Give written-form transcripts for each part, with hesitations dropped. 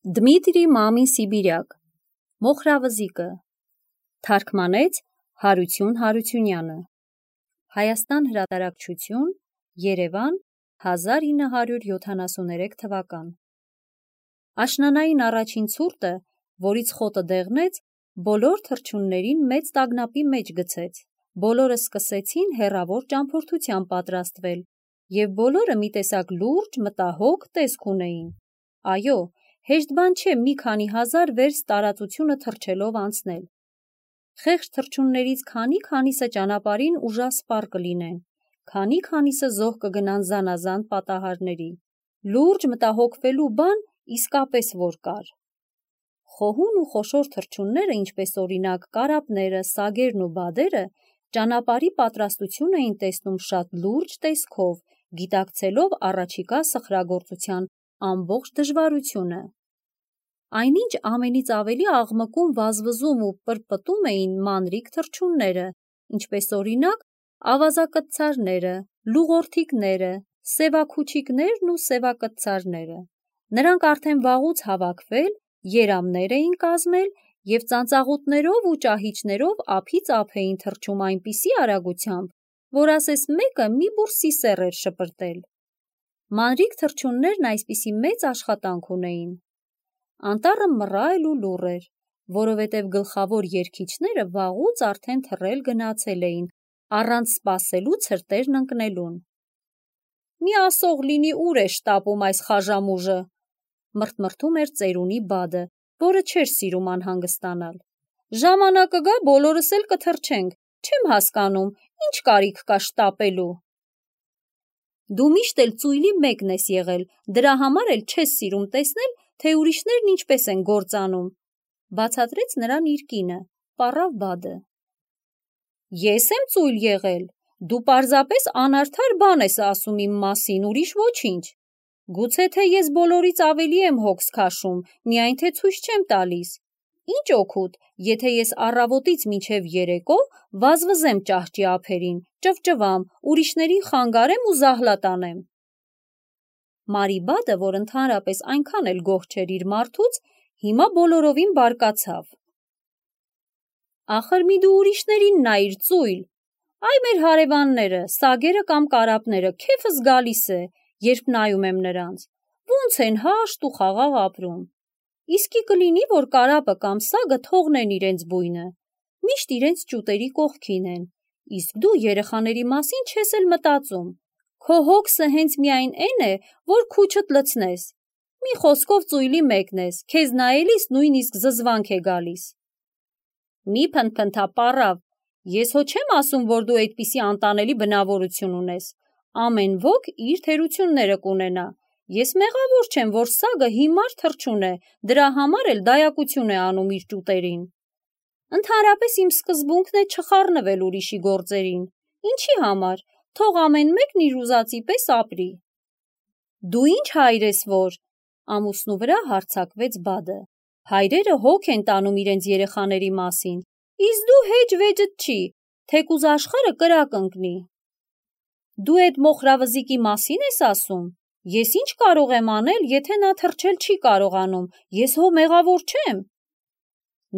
Դմիտրի Մամին Սիբիրյակ, Մոխրավզիկը, թարգմանեց Հարություն Հարությունյանը, Հայաստան հրատարակչություն, Երևան, 1973 թվական։ Աշնանային առաջին ցուրտը, որից խոտը դեղնեց, բոլոր թռչուններին մեծ տագնապի մեջ գցեց, բոլորը սկսեցին հեռավոր ճամփորդության պատրաստվել, և բոլորը մի տեսակ լուրջ, մտահոգ տեսք ունեին։ Այո, հեշտ բան չէ մի քանի հազար վերստ տարածությունը թռչելով անցնել։ Խեղճ թռչուններից քանի-քանիսը ճանապարհին ուժասպառ կլինեն, քանի-քանիսը զոհ կգնան զանազան պատահարների։ Լուրջ մտահոգվելու բան իսկապես որ կար։ Խոհուն ու խոշոր թռչունները, ինչպես օրինակ կարապները, սագերն ու բադերը, ճանապարհի պատրաստություն էին տեսնում շատ լուրջ տեսքով, գիտակցելով առաջիկա սխրագործության ամբողջ դժվարությունը։ Այնինչ ամենից ավելի աղմկում, վազվզում ու պրպտում էին մանրիկ թռչունները, ինչպես օրինակ ավազակտցարները, լուղորդիկները, սևաքուչիկներն ու սևակտցարները։ Նրանք արդեն վաղուց հավաքվել, երամներ էին կազմել և ծանծաղուտներով ու ճահիճներով ափից ափ էին թռչում այնպիսի արագությամբ, որ ասես մեկը մի բուռ սիսեռ էր շպրտել։ Մանրիկ թռչուններն այսպիսի մեծ աշխատանք ունեին։ Անտառը մռայլ ու լուռ էր, որովհետև գլխավոր երգիչները վաղուց արդեն թռել գնացել էին, առանց սպասելու ցրտերն ընկնելուն։ «Մի ասող լինի ուր է շտապում այս խաժամուժը», մրթմրթում էր ծերունի բադը, որը չէր սիրում անհանգստանալ։ «Ժամանակը գա, բոլորս էլ կթռչենք, չեմ հասկանում, ինչ կարիք կա շտապելու»։ Դու միշտ էլ ծույլի մեկն ես եղել, դրա համար էլ չես սիրում տեսնել, թե ուրիշներն ինչպես են գործանում, բացատրեց նրան իր կինը, պառավ բադը։ Ես եմ ծույլ եղել, դու պարզապես անարդար բան ես ասում իմ մասին, ուրիշ ոչինչ։ Գուցե թե ես բոլորից ավելի եմ հոգս քաշում, միայն թե ցույց չեմ տալիս։ Ինչ օգուտ, եթե ես առավոտից մինչև երեկո վազվզեմ ճահճի ափերին, ճվճվամ, ուրիշներին խանգարեմ ու զահլա տանեմ։ Մարի բադը, որ ընդհանրապես այնքան էլ գոհ չէր իր մարդուց, հիմա բոլորովին բարկացավ։ Ախր մի դու ուրիշներին նայիր ծույլ, այ մեր հարևանները, սագերը կամ կարապները, քեֆս գալիս է, երբ նայում եմ նրանց, ոնց են հաշտ ու խաղաղ ապրում։ Իսկի կլինի, որ կարապը կամ սագը թողնեն իրենց բույնը, միշտ իրենց ճուտերի կողքին են, իսկ դու երեխաների մասին չես էլ մտածում։ Քո հոգսը հենց միայն էն է, որ քուչդ լցնես։ Մի խոսքով ծույլի մեկն ես, քեզ նայելիս նույնիսկ զզվանք է գալիս։ Մի փնթփնթա պառավ, ես հո չեմ ասում, որ դու այդպիսի անտանելի բնավորություն ունես, ամեն ոք իր թերությունները կունենա, ես մեղավոր չեմ, որ սագը հիմար թռչուն է, դրա համար էլ դայակություն է անում իր ճուտերին։ Ընդհանրապես իմ սկզբունքն է չխառնվել ուրիշի գործերին, ինչի համար, թող ամեն մեկն իր ուզածի պես ապրի։ Դու ինչ հայր ես որ, ամուսնու վրա հարձակվեց բադը, հայրերը հոգ են տանում իրենց երեխաների մասին, իսկ դու հեջ վեճդ չի, թեկուզ աշխարհը կրակ ընկնի։ Դու էդ մոխրավզիկի մասին ես ասում, ես ինչ կարող եմ անել, եթե նա թռչել չի կարողանում, ես հո մեղավոր չեմ։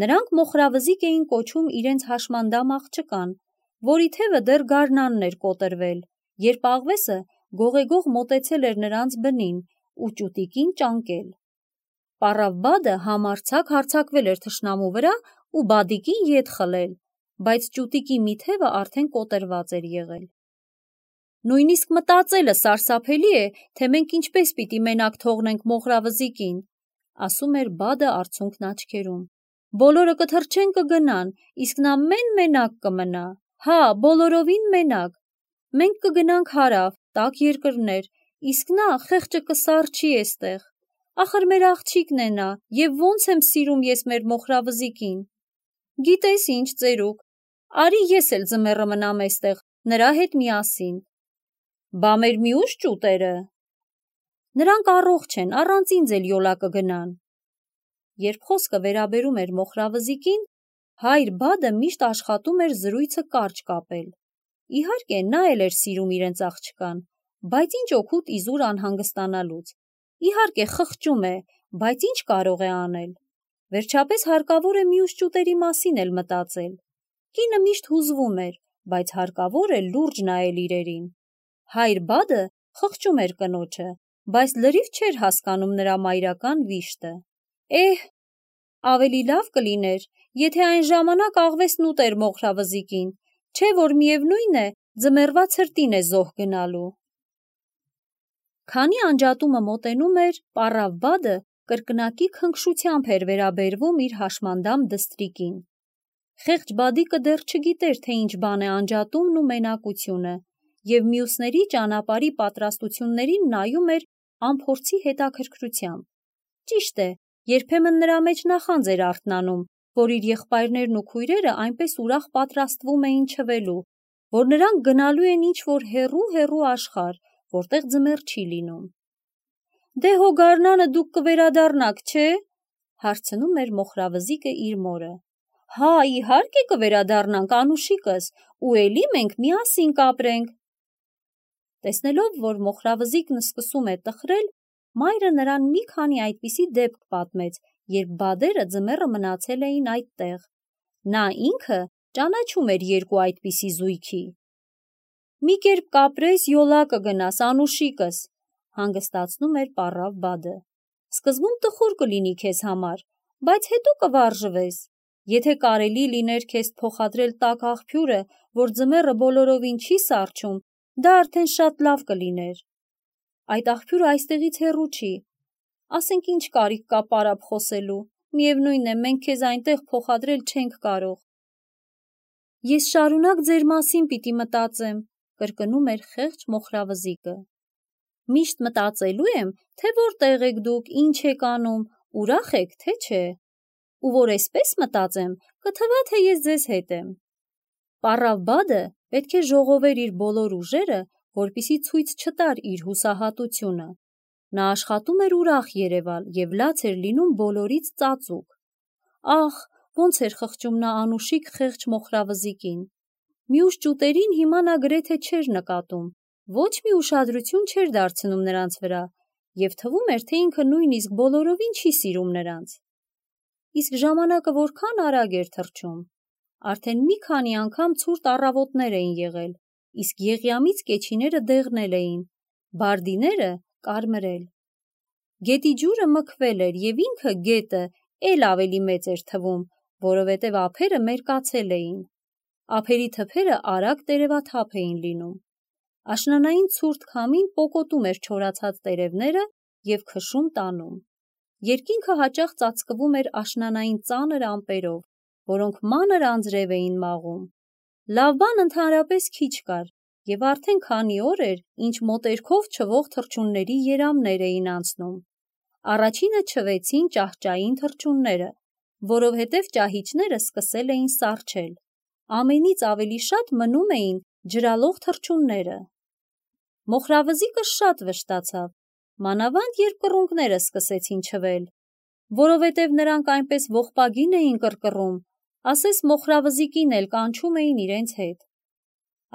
Նրանք մոխրավզիկ էին կոչում իրենց հաշմանդամ աղջկան, որի թևը դեռ գարնանն էր կոտրվել, երբ աղվեսը գողեգող մոտեցել էր նրանց բնին ու ճուտիկին ճանկել։ Պառավ բադը համարձակ հարձակվել էր թշնամու վրա ու բադիկին ետ խլել, բայց ճուտիկի մի թևը արդեն կոտրված էր եղել։ Նույնիսկ մտածելը սարսափելի է, թե մենք ինչպես պիտի մենակ թողնենք մոխրավզիկին, ասում էր բադը արցունքն աչքերում։ Բոլորը կթռչեն կգնան, իսկ նա մենակ կմնա, հա, բոլորովին մենակ։ Մենք կգնանք հարավ, տաք երկրներ, իսկ նա խեղճը կսառչի էստեղ։ Ախր մեր աղջիկն է նա, և ոնց եմ սիրում ես մեր մոխրավզիկին։ Գիտես ինչ, ծերուկ, արի ես էլ ձմեռը մնամ էստեղ, նրա հետ միասին։ Բա մեր մյուս ճուտերը։ Նրանք առողջ են, առանց ինձ էլ յոլա կգնան։ Երբ խոսքը վերաբերում էր մոխրավզիկին, հայր բադը միշտ աշխատում էր զրույցը կարճ կապել։ Իհարկե, նա էլ էր սիրում իրենց աղջկան, բայց ինչ օգուտ իզուր անհանգստանալուց։ Իհարկե, խղճում է, բայց ինչ կարող է անել։ Վերջապես հարկավոր է մյուս ճուտերի մասին էլ մտածել։ Կինը միշտ հուզվում էր, բայց հարկավոր է լուրջ նայել իրերին։ Հայր Բադը խղճում էր կնոջը, բայց լրիվ չէր հասկանում նրա մայրական վիշտը։ Ավելի լավ կլիներ, եթե այն ժամանակ աղվեսն ուտեր մոխրավզիկին, չէ որ միևնույն է, ձմեռվա ցրտին է զոհ գնալու։ Քանի անջատումը մոտենում էր, պառավ Բադը կրկնակի քնքշությամբ էր վերաբերվում իր հաշմանդամ դստրիկին։ Խեղճ Բադիկը դեռ չգիտեր, թե ինչ բան է անջատումն ու մենակությունը, և մյուսների ճանապարհի պատրաստություններին նայում էր անփորձի հետաքրքրությամբ։ Ճիշտ է, երբեմն նրա մեջ նախանձ էր արթնանում, որ իր եղբայրներն ու քույրերը այնպես ուրախ պատրաստվում էին չվելու, որ նրանք գնալու են ինչ-որ հեռու աշխարհ, որտեղ ձմեռ չի լինում։ Դե հո գարնանը դուք կվերադառնաք, չէ՞, հարցնում էր մոխրավզիկը իր մորը։ Հա, իհարկե կվերադառնանք, Անուշիկս, ու էլի մենք միասին կապրենք։ Տեսնելով, որ մոխրավզիկն սկսում է տխրել, մայրը նրան մի քանի այդպիսի դեպք պատմեց, երբ բադերը ձմեռը մնացել էին այդտեղ։ Նա ինքը ճանաչում էր երկու այդպիսի զույգի։ Մի կերպ կապրես, յոլա կգնաս, Անուշիկս, հանգստացնում էր պառավ Բադը։ Սկզբում տխուր կլինի քեզ համար, բայց հետո կվարժվես։ Եթե կարելի լիներ քեզ փոխադրել տաք աղբյուրը, որ ձմեռը բոլորովին չի սառչում, դա արդեն շատ լավ կլիներ։ Այդ աղբյուրը այստեղից հեռու չի։ Ասենք ինչ կարիք կա պարապ խոսելու, միևնույն է, մենք քեզ այնտեղ փոխադրել չենք կարող։ Ես շարունակ ձեր մասին պիտի մտածեմ, կրկնում էր խեղճ մոխրավզիկը։ Միշտ մտածելու եմ, թե որտեղ եք դուք, ինչ եք անում, ուրախ եք, թե չէ։ Ու որ էսպես մտածեմ, կթվա, թե ես ձեզ հետ եմ։ Պառավ Բադը պետք է ժողովեր իր բոլոր ուժերը, որպեսզի ցույց չտար իր հուսահատությունը։ Նա աշխատում էր ուրախ երևալ և լաց էր լինում բոլորից ծածուկ։ Ախ, ոնց էր խղճում նա Անուշիկ խեղճ մոխրավզիկին։ Մյուս ճուտերին հիմա նա գրեթե չէր նկատում, ոչ մի ուշադրություն չէր դարձնում նրանց վրա, և թվում էր, թե ինքը նույնիսկ բոլորովին չի սիրում նրանց։ Իսկ ժամանակը որքան արագ էր թռչում։ Արդեն մի քանի անգամ ցուրտ առավոտներ էին եղել, իսկ եղյամից կեչիները դեղնել էին, բարդիները կարմրել։ Գետի ջուրը մքվել էր, և ինքը գետը էլ ավելի մեծ էր թվում, որովհետև ափերը մերկացել էին։ Ափերի թփերը արագ տերևաթափ էին լինում։ Աշնանային ցուրտ քամին պոկոտում էր չորացած տերևները և քշում տանում։ Երկինքը հաճախ ծածկվում էր աշնանային ծանր ամպերով, որոնք մանր անձրև էին մաղում։ Լավ բան ընդհանրապես քիչ կար, և արդեն քանի օր էր, ինչ մոտերքով չվող թռչունների երամներ էին անցնում։ Առաջինը չվեցին ճահճային թռչունները, որովհետև ճահիճները սկսել էին սառչել։ Ամենից ավելի շատ մնում էին ջրալող թռչունները։ Մոխրավզիկը շատ վշտացավ, մանավանդ երբ կռունկները սկսեցին չվել, որովհետև նրանք այնպես ողբագին էին կռկռում, ասես մոխրավզիկին էլ կանչում էին իրենց հետ։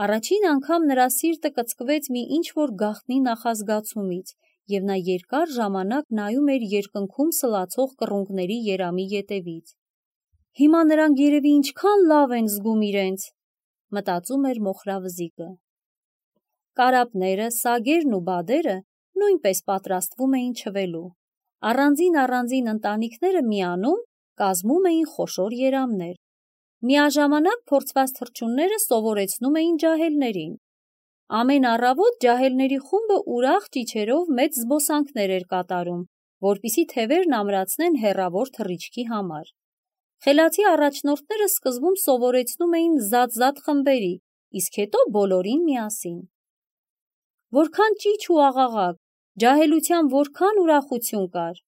Առաջին անգամ նրա սիրտը կծկվեց մի ինչ-որ գաղտնի նախազգացումից, և նա երկար ժամանակ նայում էր երկնքում սլացող կռունկների երամի ետևից։ Հիմա նրանք երևի ինչքան լավ են զգում իրենց, մտածում էր մոխրավզիկը։ Կարապները, սագերն ու բադերը նույնպես պատրաստվում էին չվելու։ Առանձին ընտանիքները միանում կազմում էին խոշոր երամներ։ Միաժամանակ փորձված թռչունները սովորեցնում էին ջահելներին։ Ամեն առավոտ ջահելների խումբը ուրախ ճիչերով մեծ զբոսանքներ էր կատարում, որպեսզի թևերն ամրացնեն հեռավոր թռիչքի համար։ Խելացի առաջնորդները սկզբում սովորեցնում էին զատ խմբերի, իսկ հետո բոլորին միասին։ Որքան ճիչ ու աղաղակ, ջահելության որքան ուրախություն կար։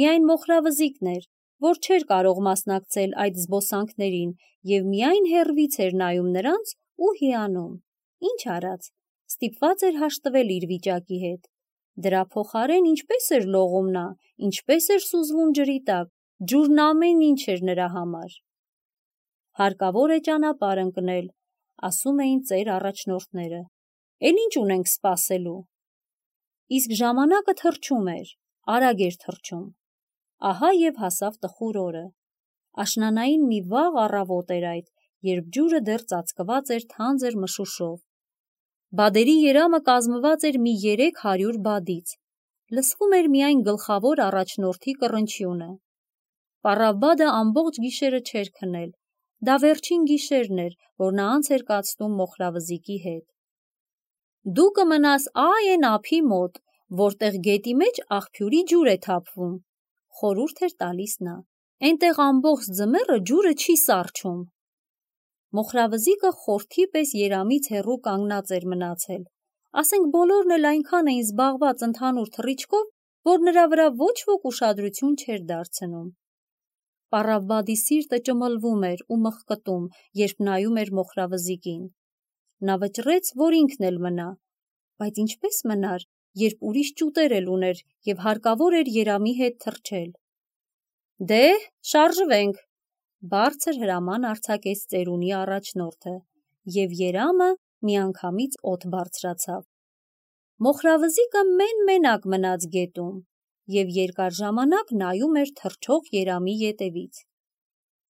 Միայն մոխրավզիկն էր, որ չէր կարող մասնակցել այդ զբոսանքներին և միայն հեռվից էր նայում նրանց ու հիանում։ Ինչ արած, ստիպված էր հաշտվել իր վիճակի հետ։ Դրա փոխարեն ինչպես էր լողում նա, ինչպես էր սուզվում ջրի տակ, ջուրն ամեն ինչ էր նրա համար։ Հարկավոր է ճանապարհ ընկնել, ասում էին ծեր առաջնորդները։ Էլ ինչ ունենք սպասելու։ Իսկ ժամանակը թռչում էր, արագ էր թռչում։ ահա և հասավ տխուր օրը։ Աշնանային մի վաղ առավոտ էր այդ, երբ ջուրը դեռ ծածկված էր թանձր մշուշով։ Բադերի երամը կազմված էր մի 300 բադից, լսվում էր միայն գլխավոր առաջնորդի կռնչյունը։ Պառավբադը ամբողջ գիշերը չէր քնել, դա վերջին գիշերն էր, որ նա անց էր կացնում Մոխրավզիկի հետ։ Դու կմնաս այն ափի մոտ, որտեղ գետի մեջ աղբյուրի ջուր է թափվում, խորհուրդ էր տալիս նա, այնտեղ ամբողջ ձմեռը ջուրը չի սառչում։ Մոխրավզիկը խորթի պես երամից հեռու կանգնած էր մնացել, ասենք բոլորն էլ այնքան էին զբաղված ընդհանուր թռիչքով, որ նրա վրա ոչ ոք ուշադրություն չէր դարձնում։ Պառավբադի սիրտը ճմլվում էր ու մղկտում, երբ նայում էր Մոխրավզիկին։ Նա վճռեց, որ ինքն էլ մնա, բայց ինչպես մնար, երբ ուրիշ ճուտեր էլ ուներ և հարկավոր էր երամի հետ թռչել։ Դե, շարժվենք, բարձր հրաման արձակեց ծերունի առաջնորդը, և երամը միանգամից օդ բարձրացավ։ Մոխրավզիկը մեն-մենակ մնաց գետում և երկար ժամանակ նայում էր թռչող երամի ետևից։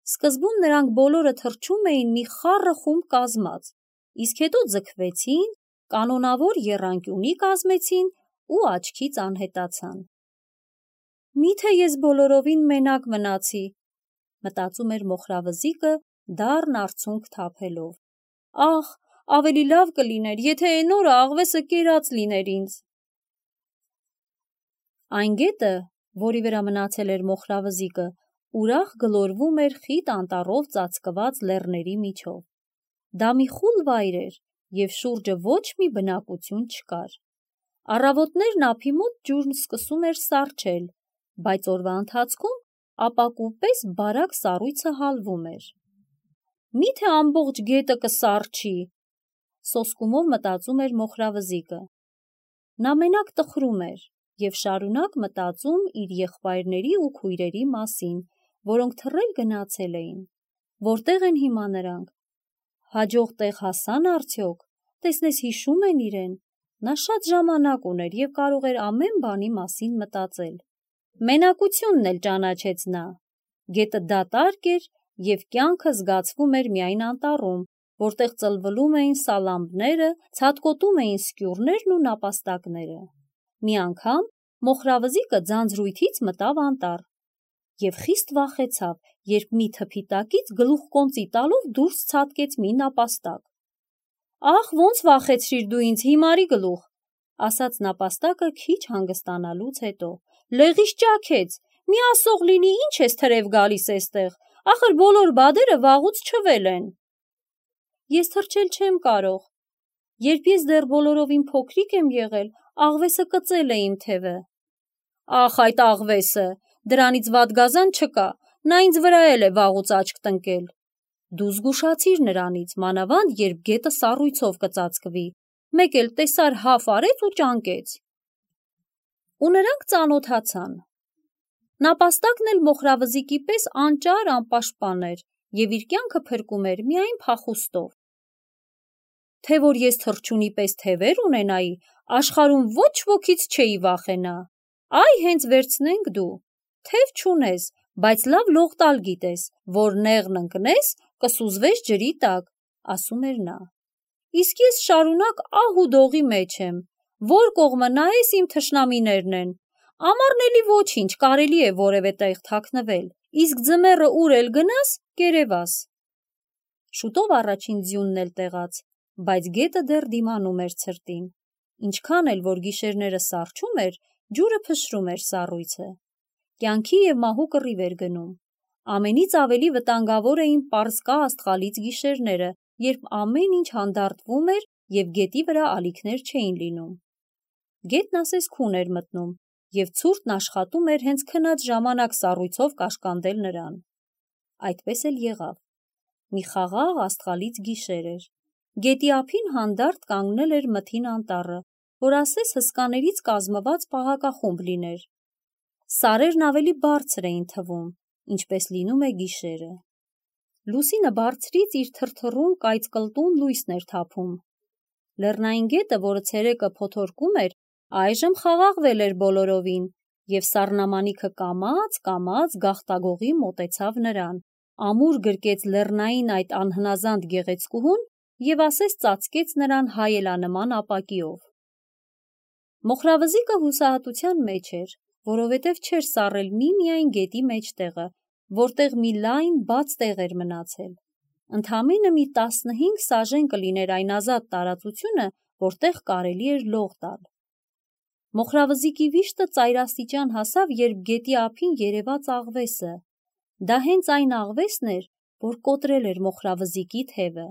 Սկզբում նրանք բոլորը թռչում էին մի խառը խումբ կազմած, իսկ հետո ձգվեցին, կանոնավոր եռանկյունի կազմեցին ու աչքից անհետացան։ Միթե ես բոլորովին մենակ մնացի, մտածում էր Մոխրավզիկը դառն արցունք թափելով։ Ախ, ավելի լավ կլիներ, եթե էն օրը աղվեսը կերած լիներ ինձ։ Այն գետը, որի վրա մնացել էր Մոխրավզիկը, ուրախ գլորվում էր խիտ անտառով ծածկված լեռների միջով։ Դա մի խուլ վայր էր, և շուրջը ոչ մի բնակություն չկար։ Առավոտներն ափի մոտ ջուրն սկսում էր սառչել, բայց օրվա ընթացքում ապակու պես բարակ սառույցը հալվում էր։ Միթե ամբողջ գետը կսառչի, սոսկումով մտածում էր Մոխրավզիկը։ Նա մենակ տխրում էր և շարունակ մտածում իր եղբայրների ու քույրերի մասին, որոնք թռել գնացել էին։ Որտեղ են հիմա նրանք։ Հաջող տեղ հասան արդյոք, տեսնես հիշում են իրեն։ Նա շատ ժամանակ ուներ և կարող էր ամեն բանի մասին մտածել։ Մենակությունն էլ ճանաչեց նա։ Գետը դատարկ էր և կյանքը զգացվում էր միայն անտառում, որտեղ ծլվլում էին սալամբները, ցատկոտում էին սկյուռներն ու նապաստակները։ Մի անգամ Մոխրավզիկը ձանձրույթից մտավ անտառ և խիստ վախեցավ, երբ մի թփի տակից գլուխկոնծի տալով դուրս ցատկեց մի նապաստակ։ Ախ, ոնց վախեցրիր դու ինձ, հիմարի գլուխ, ասաց նապաստակը քիչ հանգստանալուց հետո։ Լեղիս ճաքեց, մի ասող լինի, ինչ ես թրև գալիս էստեղ, ախր բոլոր բադերը վաղուց չվել են։ Ես թռչել չեմ կարող։ Երբ ես դեռ բոլորովին փոքրիկ եմ եղել, աղվեսը կծել է իմ թևը։ Ախ, այդ աղվեսը, դրանից վատ գազան չկա, նա ինձ վրա էլ է վաղուց աչք տնկել։ Դու զգուշացիր նրանից, մանավանդ երբ գետը սառույցով կծածկվի, մեկ էլ տեսար հավ արեց ու ճանկեց։ Ու նրանք ծանոթացան։ Նապաստակն էլ Մոխրավզիկի պես անճար անպաշտպան էր և իր կյանքը փրկում էր միայն փախուստով։ Թե որ ես թռչունի պես թևեր ունենայի, աշխարհում ոչ ոքից չէի վախենա։ Այ հենց վերցնենք դու, թև չունես, բայց լավ լող տալ գիտես, որ նեղն ընկնես, կսուզվես ջրի տակ, ասում էր նա։ Իսկ ես շարունակ ահ ու դողի մեջ եմ, որ կողմը նայես իմ թշնամիներն են, ամառն էլի ոչինչ, կարելի է որևէ տեղ թաքնվել, իսկ ձմեռը ուր էլ գնաս, կերևաս։ Շուտով առաջին ձյունն էլ տեղաց, բայց գետը դեռ դիմանում էր ցրտին։ Ինչքան էլ որ գիշերները սառչում էր, ջուրը փշրում էր սառույցը։ Կյանքի և մահու կռիվ էր գնում։ Ամենից ավելի վտանգավոր էին պարսկա աստղալից գիշերները, երբ ամեն ինչ հանդարտվում էր և գետի վրա ալիքներ չէին լինում։ Գետն ասես քուն էր մտնում, և ցուրտն աշխատում էր հենց քնած ժամանակ սառույցով կաշկանդել նրան։ Այդպես էլ եղավ։ Մի խաղաղ աստղալից գիշեր էր։ Գետի ափին հանդարտ կանգնել էր մթին անտառը, որ ասես հսկաներից կազմված պահակախումբ լիներ։ Սարերն ավելի բարձր էին թվում, ինչպես լինում է գիշերը։ Լուսինը բարձրից իր թրթռուն կայծկլտուն լույսն էր թափում։ Լեռնային գետը, որը ցերեկը փոթորկում էր, այժմ խաղաղվել էր բոլորովին և սառնամանիքը կամաց գաղտագողի մոտեցավ նրան, ամուր գրկեց լեռնային այդ անհնազանդ գեղեցկուհուն և ասես ծածկեց նրան հայելանման ապակիով։ Մոխրավզիկը հուսահատության մեջ էր, որովհետև չէր սառել միմիայն գետի մեջտեղը, որտեղ մի լայն բաց տեղ էր մնացել։ Ընդամենը մի 15 սաժեն կլիներ այն ազատ տարածությունը, որտեղ կարելի էր լող տալ։ Մոխրավզիկի վիշտը ծայրաստիճան հասավ, երբ գետի ափին երևաց աղվեսը։ Դա հենց այն աղվեսն էր, որ կոտրել էր մոխրավզիկի թևը։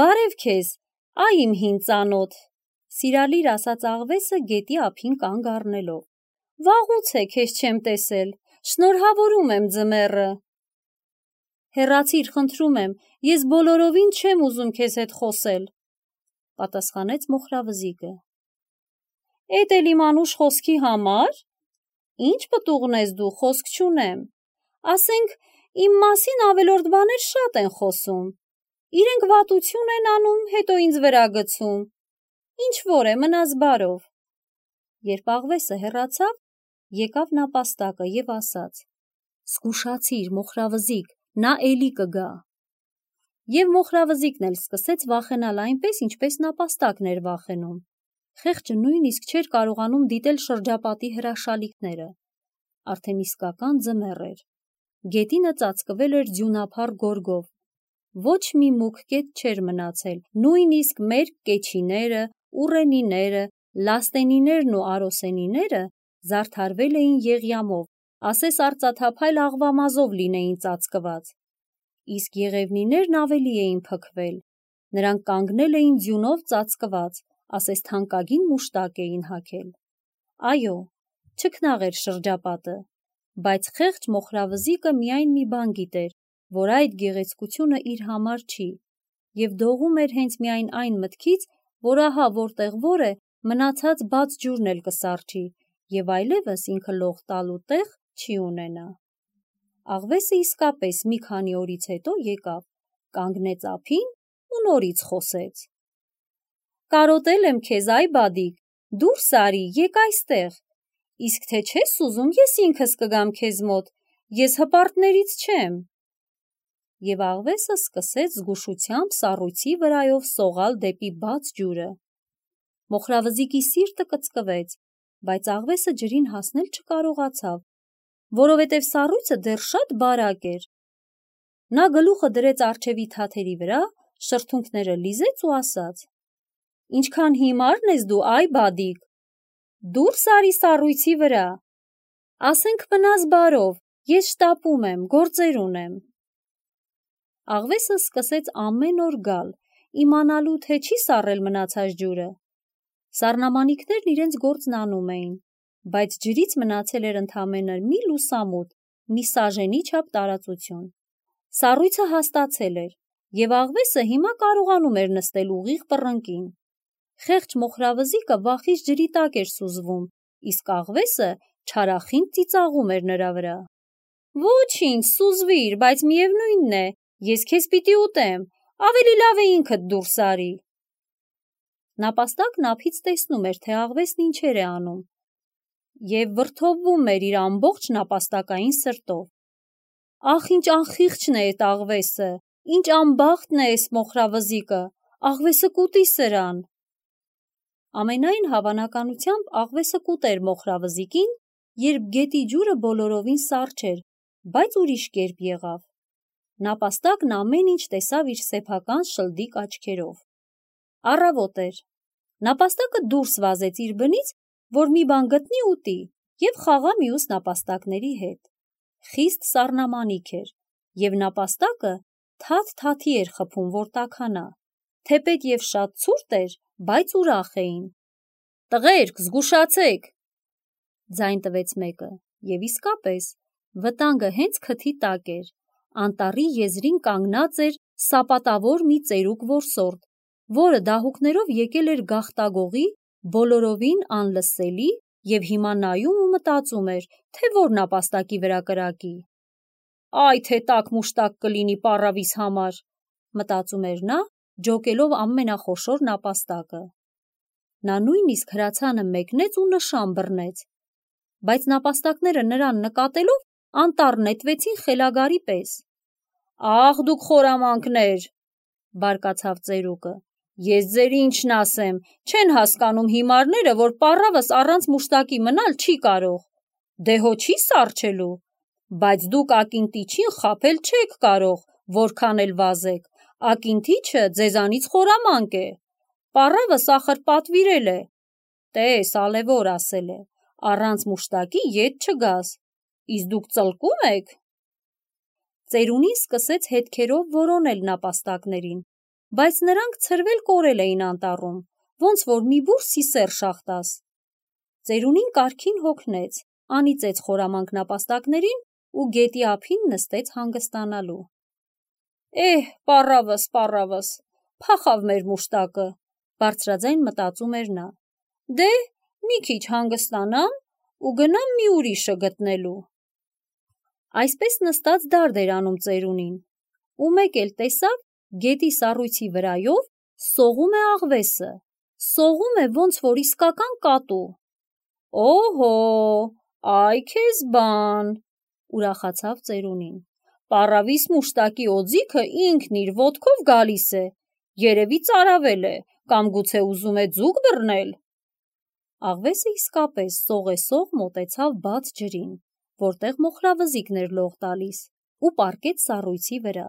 Բարև քեզ, այ իմ հին ծանոթ, սիրալիր ասաց աղվեսը գետի ափին կանգ առնելով։ Վաղուց է քեզ չեմ տեսել, շնորհավորում եմ ձմեռը։ Հեռացիր, խնդրում եմ, ես բոլորովին չեմ ուզում քեզ հետ խոսել, պատասխանեց մոխրավզիկը։ Էդ էլ իմ անուշ խոսքի համար։ Ինչ պտուղն ես դու, խոսք չունեմ։ Ասենք, իմ մասին ավելորդ բաներ շատ են խոսում։ Իրենք վատություն են անում, հետո ինձ վրա գցում։ Ինչ որ է, մնաս բարով։ Երբ աղվեսը հեռացավ, եկավ նապաստակը և ասաց. Զգուշացիր, մոխրավզիկ, նա էլի կգա։ Եվ մոխրավզիկն էլ սկսեց վախենալ այնպես, ինչպես նապաստակն էր վախենում։ Խեղճը նույնիսկ չէր կարողանում դիտել շրջապատի հրաշալիքները։ Արդեն իսկական ձմեռ էր։ Գետինը ծածկվել էր ձյունափառ գորգով։ Ոչ մի մուգ կետ չէր մնացել, նույնիսկ մեր կեչիները, ուռենիները, լաստենիներն ու արոսենիները զարդարվել էին եղյամով, ասես արծաթափայլ աղվամազով լինեին ծածկված։ Իսկ եղևնիներն ավելի էին փքվել, նրանք կանգնել էին ձյունով ծածկված, ասես թանկագին մուշտակ էին հագել։ Այո, չքնաղ էր շրջապատը, բայց խեղճ մոխրավզիկը միայն մի բան գիտեր, որ այդ գեղեցկությունը իր համար չի, և դողում էր հենց միայն այն մտքից, որ ահա որտեղ որ է, մնացած բաց ջուրն էլ կսառչի, և այլևս ինքը լող տալու տեղ չի ունենա։ Աղվեսը իսկապես մի քանի օրից հետո եկավ, կանգնեց ափին ու նորից խոսեց. Կարոտել եմ քեզ, այ բադիկ, դուրս արի, եկ այստեղ, իսկ թե չես ուզում, ես ինքս կգամ քեզ մոտ, ես հպարտներից չեմ։ Եվ աղվեսը սկսեց զգուշությամբ սառույցի վրայով սողալ դեպի բաց ջուրը։ Մոխրավզիկի սիրտը կծկվեց, բայց աղվեսը ջրին հասնել չկարողացավ, որովհետև սառույցը դեռ շատ բարակ էր։ Նա գլուխը դրեց առջևի թաթերի վրա, շրթունքները լիզեց ու ասաց. Ինչքան հիմարն ես դու, այ բադիկ, դուրս արի սառույցի վրա, ասենք մնաս բարով, ես շտապում եմ, գործեր ունեմ։ Աղվեսը սկսեց ամեն օր գալ, իմանալու, թե չի սառել մնացած ջուրը։ Սառնամանիքներն իրենց գործն անում էին, բայց ջրից մնացել էր ընդամենը մի լուսամուտ, մի սաժենի չափ տարածություն։ Սառույցը հաստացել էր, և աղվեսը հիմա կարողանում էր նստել ուղիղ պռնկին։ Խեղճ մոխրավզիկը վախից ջրի տակ էր սուզվում, իսկ աղվեսը չարախինդ ծիծաղում էր նրա վրա։ Ոչինչ, սուզվիր, բայց միևնույնն է, ես քեզ պիտի ուտեմ, ավելի լավ է ինքդ դուրս արի։ Նապաստակն ափից տեսնում էր, թե աղվեսն ինչեր է անում, և վրդովվում էր իր ամբողջ նապաստակային սրտով։ Ախ, ինչ անխիղճն է էդ աղվեսը, ինչ անբախտն է էս մոխրավզիկը, աղվեսը կուտի սրան։ Ամենայն հավանականությամբ աղվեսը կուտեր մոխրավզիկին, երբ գետի ջուրը բոլորովին սառչ էր, բայց ուրիշ կերպ եղավ։ Նապաստակն ամեն ինչ տեսավ իր սեփական շլդիկ աչքերով։ Առավոտ էր։ Նապաստակը դուրս վազեց իր բնից, որ մի բան գտնի ուտի և խաղա մյուս նապաստակների հետ։ Խիստ սառնամանիք էր, և նապաստակը թաթ-թաթի էր խփում, որ տաքանա, թեպետ և շատ ցուրտ էր, բայց ուրախ էին։ Տղերք, զգուշացեք, ձայն տվեց մեկը, և իսկապես, վտանգը հենց քթի տակ էր, անտառի եզրին կանգնած էր սապատավոր մի ծերուկ որսորդ, որը դահուկներով եկել էր գաղտագողի, բոլորովին անլսելի և հիմա նայում ու մտածում էր, թե որ նապաստակի վրա կրակի։ Այ թե տաք մուշտակ կլինի պառավիս համար, մտածում էր նա, ջոկելով ամենախոշոր նապաստակը։ Նա նույնիսկ հրացանը մեկնեց ու նշան բռնեց, բայց նապաստակները նրան նկատելով անտառ նետվեցին խելագարի պես։ «Ախ, դուք խորամանկներ», բարկացավ ծերուկը, «ես ձեր ինչն ասեմ, չեն հասկանում հիմարները, որ պառավս առանց մուշտակի մնալ չի կարող, դե հո չի սառչելու, բայց դուք ակինթիչին խաբել չեք կարող, որքան էլ վազեք, ակինթիչը ձեզանից խորամանկ է, պառավս ախր պատվիրել է, տես ալևոր ասել է, առանց մուշտակի ետ չգաս, իսկ դուք ծլկում եք»։ Ծերունին սկսեց հետքերով որոնել նապաստակներին, բայց նրանք ցրվել կորել էին անտառում, ոնց որ մի բուռ սիսեռ շախտաս։ Ծերունին կարգին հոգնեց, անիծեց խորամանկ նապաստակներին ու գետի ափին նստեց հանգստանալու։ Պառավս, փախավ մեր մուշտակը, բարձրաձայն մտածում էր նա, դե մի քիչ հանգստանամ ու գնամ մի ուրիշը գտնելու։ Այսպես նստած դարդ էր անում ծերունին, ու մեկ էլ տեսավ գետի սառույցի վրայով սողում է աղվեսը, սողում է ոնց որ իսկական կատու։ «Օհո, այ քեզ բան», ուրախացավ ծերունին, «պառավիս մուշտակի օձիքը ինքն իր ոտքով գալիս է, երևի ծարավել է, կամ գուցե ուզում է ձուկ բռնել»։ Աղվեսը իսկապես սողեսող մոտեցավ բաց ջրին, որտեղ մոխրավզիկն էր լող տալիս, ու պառկեց սառույցի վրա։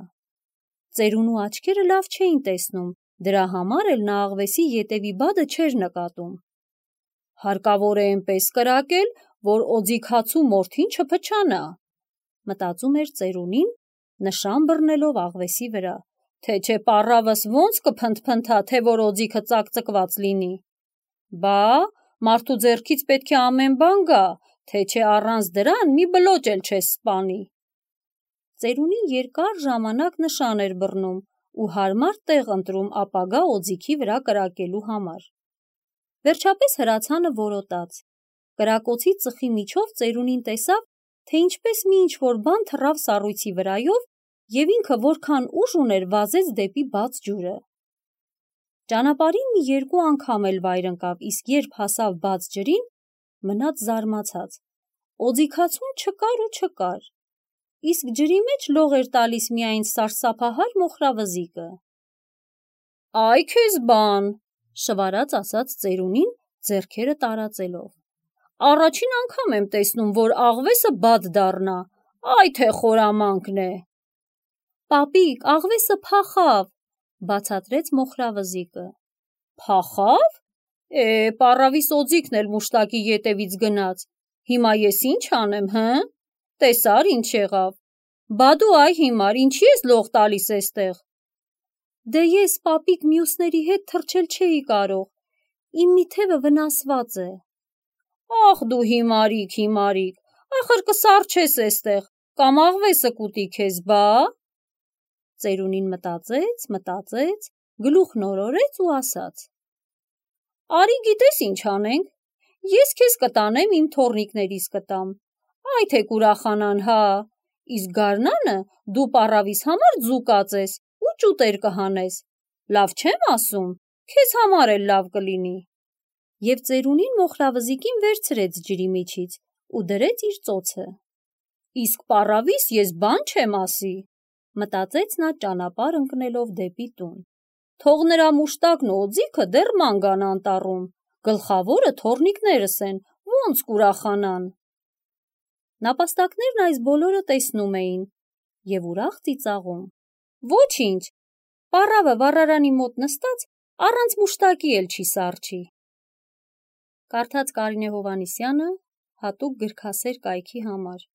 Ծերունու աչքերը լավ չէին տեսնում, դրա համար էլ նա աղվեսի ետևի բադը չէր նկատում։ «Հարկավոր է էնպես կրակել, որ օձիքացու մորթին չփչանա», մտածում էր ծերունին, նշան բռնելով աղվեսի վրա, թե չէ պառավս ոնց կփնթփնթա, թե որ օձիքը ծակծկված լինի։ Բա, մարդու ձեռքից պետք է ամեն բան գա, թե չէ առանց դրան մի բլոճ էլ չես սպանի։ Ծերունին երկար ժամանակ նշան էր բռնում ու հարմար տեղ ընտրում ապագա օձիքի վրա կրակելու համար։ Վերջապես հրացանը որոտաց։ Կրակոցի ծխի միջով ծերունին տեսավ, թե ինչպես մի ինչ-որ բան թռավ սառույցի վրայով և ինքը որքան ուժ ուներ վազեց դեպի բաց ջուրը։ Ճանապարհին մի երկու անգամ էլ վայր ընկավ, իսկ երբ հասավ բաց ջրին, մնաց զարմացած։ Օձիքացուն չկար ու չկար, իսկ ջրի մեջ լող էր տալիս միայն սարսափահար մոխրավզիկը։ «Այ քեզ բան», շվարած ասաց ծերունին, ձեռքերը տարածելով, «առաջին անգամ եմ տեսնում, որ աղվեսը բադ դառնա, այ թե խորամանկն է»։ «Պապիկ, աղվեսը փախավ», բացատրեց մոխրավզիկը։ «Փախավ։ Պառավիս օձիքն էլ մուշտակի ետևից գնաց, հիմա ես ինչ անեմ, հը՞, տեսար ինչ եղավ, բա դու այ հիմար ինչի ես լող տալիս էստեղ»։ «Դե ես, պապիկ, մյուսների հետ թռչել չէի կարող, իմ մի թևը վնասված է»։ «Ախ դու հիմարիկ, ախր կսառչես էստեղ, կամ աղվեսը կուտի քեզ, բա»։ Ծերունին մտածեց, գլուխն օրորեց ու ասաց. «Արի գիտես ինչ անենք, ես քեզ կտանեմ իմ թոռնիկներիս կտամ, այ թե կուրախանան, հա, իսկ գարնանը դու պառավիս համար ձու կածես ու ճուտեր կհանես, լավ չեմ ասում, քեզ համար էլ լավ կլինի»։ Եվ ծերունին մոխրավզիկին վերցրեց ջրի միջից ու դրեց իր ծոցը։ «Իսկ պառավիս ես բան չեմ ասի», մտածեց նա ճանապարհ ընկնելով դեպի տուն։ «Թող նրա մուշտակն ու օձիքը դեռ ման գան անտառում, գլխավորը թոռնիկներս են, ոնց կուրախանան»։ Նապաստակներն այս բոլորը տեսնում էին և ուրախ ծիծաղում։ «Ոչինչ, պառավը վառարանի մոտ նստած առանց մուշտակի էլ չի սառչի»։ Կարդաց Կարինե Հովհաննիսյանը հատուկ գրքասեր կայքի համար։